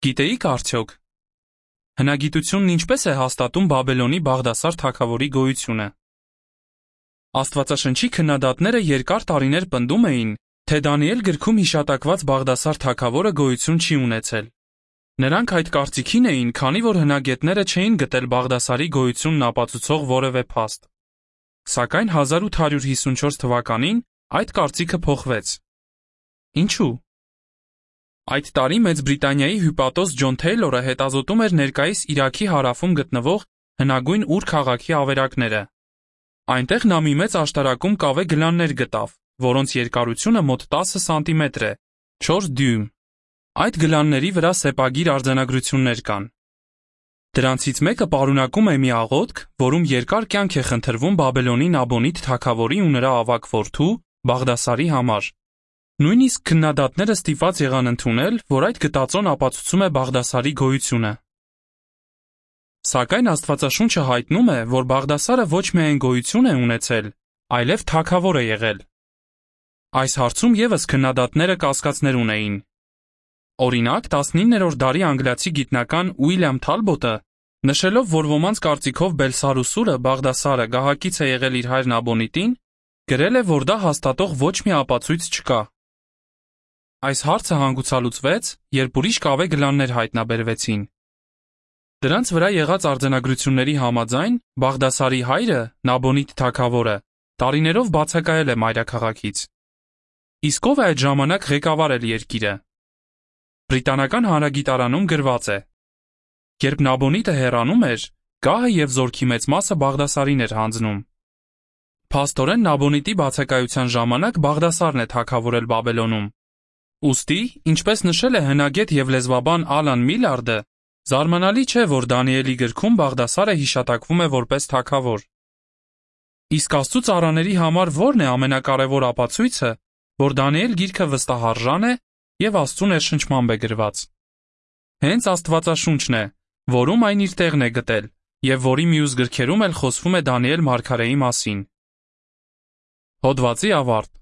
Գիտեիք արդյոք, հնագիտությունն ինչպես է հաստատում Բաբելոնի Բաղդասար թագավորի գոյությունը։ Աստվածաշնչի քննադատները երկար տարիներ պնդում էին, թե Դանիել գրքում հիշատակված Բաղդասար թագավորը գոյություն չի ունեցել։ Նրանք այդ կարծիքին էին, քանի որ հնագետները չէին գտել Բաղդասարի գոյությունն ապացուցող որևէ փաստ։ Սակայն 1854 թվականին այդ կարծիքը փոխվեց։ Ինչու՞։ Այդ տարի Մեծ Բրիտանիայի հյուպատոս Ջոն Թեյլորը հետազոտում էր ներկայիս Իրաքի հարավում գտնվող հնագույն Ուր քաղաքի ավերակները։ Այնտեղ նա մի մեծ աշտարակում կավե գլաններ գտավ, որոնց երկարությունը մոտ 10 սանտիմետր է, 4 դյույմ։ Այդ գլանների վրա սեպագիր արձանագրություններ կան։ Դրանցից մեկը պարունակում է մի աղոթք, որում երկար կյանք է խնդրվում Բաբելոնի Նաբոնիդ թագավորի ու նրա ավագ որդու Բաղդասարի համար։ Նույնիսկ քննադատները ստիպված եղան ընդունել, որ այդ գտածոն ապացուցում է Բաղդասարի գոյությունը։ Սակայն Աստվածաշունչը հայտնում է, որ Բաղդասարը ոչ միայն գոյություն է ունեցել, այլև թագավոր է եղել։ Այս հարցում ևս քննադատները կասկածներ ունեին։ Օրինակ, 19-րդ դարի անգլիացի գիտնական Ուիլյամ Թալբոտը, նշելով, որ ոմանց կարծիքով Բելսարուսուրը Բաղդասարը գահակից է եղել իր հայր Նաբոնիդին, գրել է, որ դա հաստատող ոչ մի ապացույց չկա։ Այս հարցը հանգուցալուծվեց, երբ ուրիշ կավե գլաններ հայտնաբերվեցին։ Դրանց վրա եղած արձանագրությունների համաձայն Բաղդասարի հայրը, Նաբոնիդ թագավորը, տարիներով բացակայել է մայրաքաղաքից։ Իսկ ով է այդ ժամանակ ղեկավարել երկիրը։ Բրիտանական հանրագիտարանում գրված է. երբ Նաբոնիդը հեռանում էր, գահը և զորքի մեծ մասը Բաղդասարին էր հանձնում։ Փաստորեն Նաբոնիդի բացակայության ժամանակ Բաղդասարն է թագավորել Բաբելոնում։ Ուստի, ինչպես նշել է հնագետ և լեզվաբան Ալան Միլարդը, զարմանալի չէ, որ Դանիելի գրքում Բաղդասարը հիշատակվում է որպես թագավոր։ Իսկ Աստծու ծառաների համար ո՞րն է ամենակարևոր ապացույցը, որ Դանիել գիրքը վստահարժան է և Աստծու ներշնչմամբ է գրված։ Հենց Աստվածաշունչն է, որում այն իր տեղն է գտել, և որի մյուս գրքերում էլ խոսվում է Դանիել մարգարեի մասին։ Հոդվացի ավարտ։